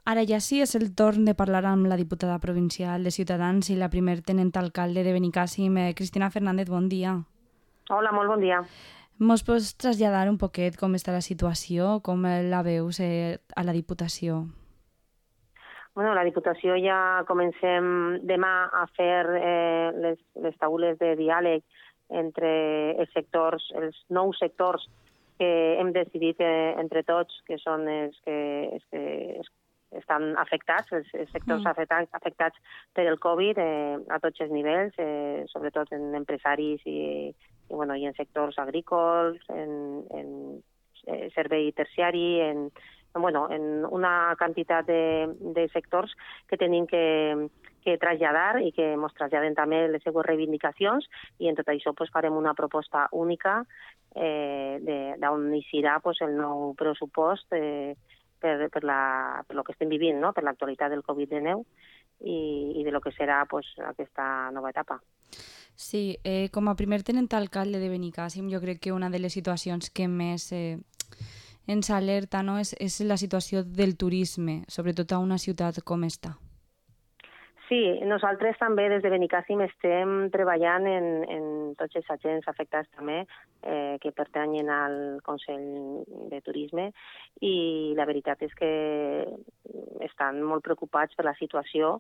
Ara ja sí és el torn de parlar amb la diputada provincial de Ciutadans i la primer tenent alcalde de Benicàssim, Cristina Fernández, bon dia. Hola, molt bon dia. Mos pots traslladar un poquet com està la situació, com la veus a la Diputació? Bueno, la Diputació ja comencem demà a fer les taules de diàleg entre els sectors, els nous sectors que hem decidit entre tots, que són els que estan afectats, els sectors afectats per el Covid a tots els nivells, sobretot en empresaris i en sectors agrícoles, en servei terciari, en una quantitat de sectors que tenim que traslladar i que ens traslladen també les seues reivindicacions, i en tot això farem una proposta única d'on eixirà el nou pressupost per lo que estem vivint, no? Per l'actualitat del Covid-19 i de lo que serà aquesta nova etapa. Sí, com a primer tenent alcalde de Benicàssim, jo crec que una de les situacions que més ens alerta, no, és la situació del turisme, sobretot a una ciutat com esta. Sí, nosaltres també des de Benicàssim estem treballant en tots els agents afectats també que pertanyen al Consell de Turisme, i la veritat és que estan molt preocupats per la situació,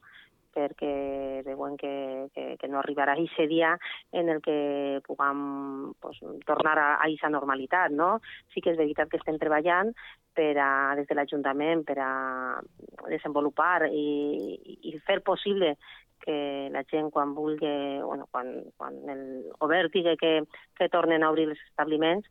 perquè veuen que no arribarà aquest dia en el que puguem tornar a aquesta normalitat, no? Sí que és veritat que estem treballant des de l'Ajuntament per a desenvolupar i fer possible que la gent, quan vulgui, quan el govern digui que tornen a obrir els establiments,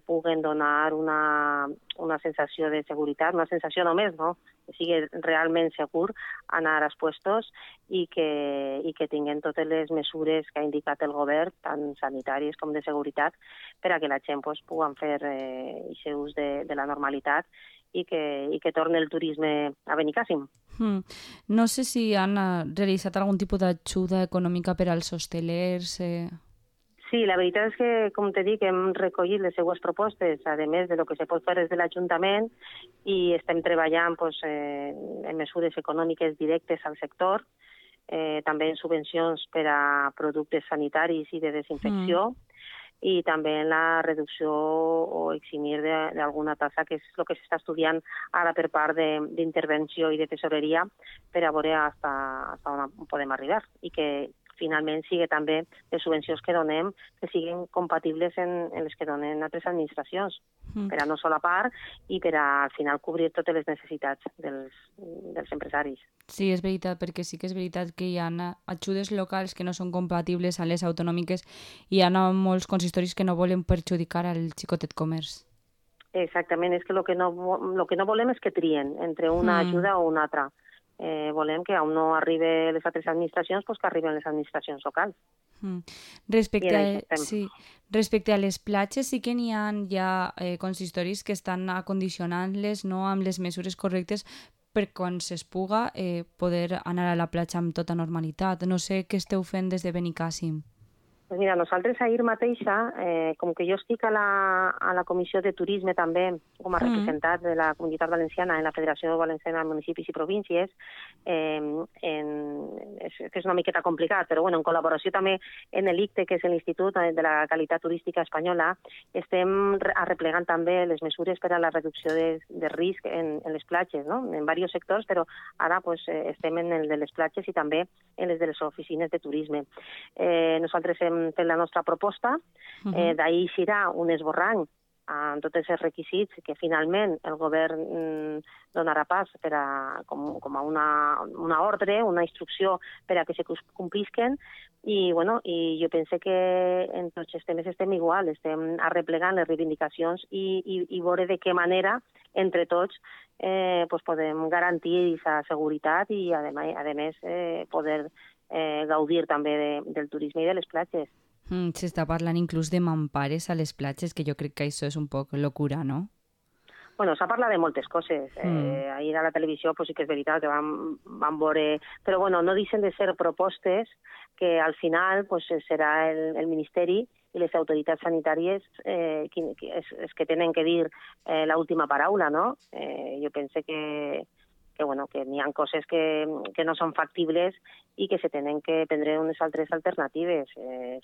puguen donar una sensació de seguretat, una sensació només, no? Que sigui realment segur anar als puestos i que tinguin totes les mesures que ha indicat el govern, tant sanitàries com de seguretat, per a que la gent pugui fer aquest ús de la normalitat i que torni el turisme a Benicàssim. No sé si han realitzat algun tipus d'ajuda econòmica per als hostelers. Sí, la veritat és que, com t'he dit, hem recollit les seues propostes, a més de lo que se pot fer des de l'Ajuntament, i estem treballant en mesures econòmiques directes al sector, també en subvencions per a productes sanitaris i de desinfecció, i també en la reducció o eximir d'alguna tassa, que és el que s'està estudiant ara per part d'intervenció i de tesoreria, per a veure fins on podem arribar, i que finalment sigui també les subvencions que donem que siguin compatibles en les que donen altres administracions, per a no solapar i per a al final cobrir totes les necessitats dels empresaris. Sí, és veritat, perquè sí que és veritat que hi ha ajudes locals que no són compatibles a les autonòmiques, i hi ha molts consistoris que no volen perjudicar al xicotet comerç. Exactament, és que el que no volem és que trien entre una ajuda o una altra. Volem que on no arriben les altres administracions, que arriben les administracions locals. Respecte a les platges, sí que n'hi ha ja consistoris que estan acondicionant-les, no, amb les mesures correctes per quan es puga poder anar a la platja amb tota normalitat. No sé què esteu fent des de Benicàssim. Pues mira, nosaltres ahir mateixa, com que jo estic a la Comissió de Turisme també, com a representant de la Comunitat Valenciana en la Federació Valenciana de Municipis i Províncies, és una miqueta complicat, però en col·laboració també en l'ICTE, que és l'Institut de la Qualitat Turística Espanyola, estem arreplegant també les mesures per a la reducció de risc en les platges, no? En diversos sectors, però ara estem en el de les platges i també en les de les oficines de turisme. Nosaltres hem fet la nostra proposta, d'ahir serà un esborrany amb tots els requisits que finalment el govern donarà pas com a una ordre, una instrucció per a que se complisquen, i jo penso que en tots els temes estem igual, estem arreplegant les reivindicacions i veure de què manera entre tots podem garantir aquesta seguretat i a més poder gaudir també del turisme i de les platges. S'està parlant inclús de mampares a les platges, que jo crec que això és un poc locura, no? Bueno, s'ha parlat de moltes coses. Ahir a la televisió sí que és veritat que vam veure... Però no deixen de ser propostes que al final serà el Ministeri i les autoritats sanitàries que tenen que dir l'última paraula, no? Jo penso que bueno, que n'hi ha coses que no són factibles i que se tenen que prendre unes altres alternatives.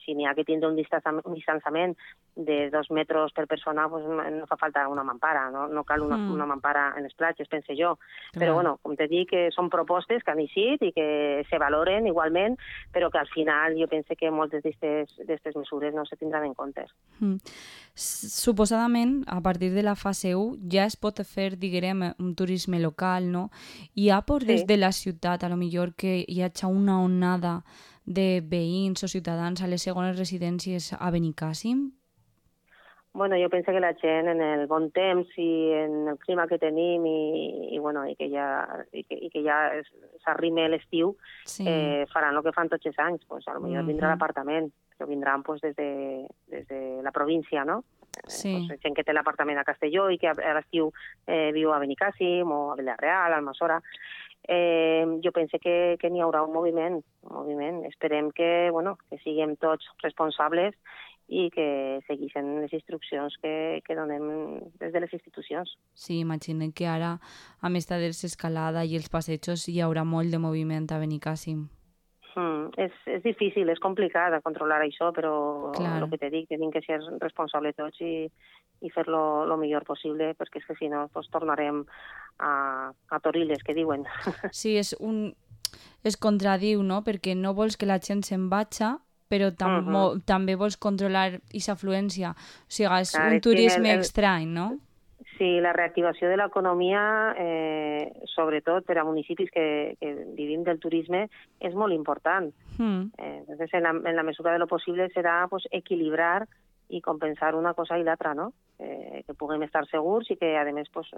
Si n'hi ha que tindre un distanciament de 2 metres per persona, pues no fa falta una mampara, no cal una mampara en les platges, pense jo. Clar. Però, bueno, com te dic, que són propostes que han eixit i que se valoren igualment, però que al final jo penso que moltes d'aquestes mesures no se tindran en compte. Suposadament, a partir de la fase 1 ja es pot fer, diguem, un turisme local, no? Hi ha por des de la ciutat, a lo millor, que hi hagi una onada de veïns o ciutadans a les segones residències a Benicàssim? Bueno, jo penso que la gent en el bon temps i en el clima que tenim i que ja s'arrime l'estiu, faran el que fan tots els anys. Pues, a lo millor vindrà l'apartament, però vindran pues, des de la província, no? Sí. Pues, gent que té l'apartament a Castelló i que a l'estiu viu a Benicàssim o a Vilareal, a Almassora. Jo penso que n'hi haurà un moviment. Esperem que siguem tots responsables i que segueixen les instruccions que donem des de les institucions. Sí, imaginem que ara, amb esta desescalada i els passejos, hi haurà molt de moviment a Benicàssim. És difícil, és complicat controlar això, però Clar. el que te dic, tenim que ser responsables tots i fer-lo el millor possible, perquè és que si no pues, tornarem a Torrilles, que diuen. Sí, es contradiu, no? Perquè no vols que la gent se'n vagi, però també vols controlar aquesta afluència. O sigui, és un turisme estrany, no? Sí, la reactivació de l'economia, sobretot per a municipis que vivim del turisme, és molt important. Entonces, en la mesura de lo possible serà pues, equilibrar i compensar una cosa i l'altra, no? Que puguem estar segurs i que, a més, pues,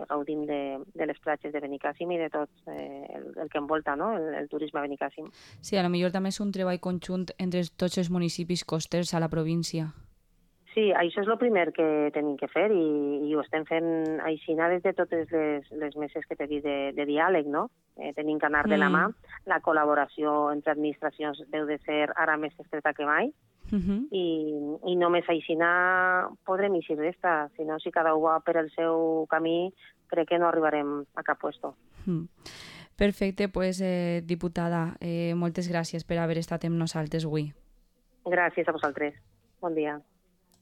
gaudim de les platges de Benicàssim i de tot el que envolta, no? el turisme a Benicàssim. Sí, a lo millor també és un treball conjunt entre tots els municipis costers a la província. Sí, això és el primer que tenim que fer i ho estem fent aixina des de totes les meses que t'he dit de diàleg, no? Tenim que anar de la mà. La col·laboració entre administracions deu de ser ara més estreta que mai i només aixina podrem eixir d'esta. Si no, si cada un va per el seu camí, crec que no arribarem a cap puesto. Perfecte, pues, diputada, moltes gràcies per haver estat amb nosaltres avui. Gràcies a vosaltres. Bon dia.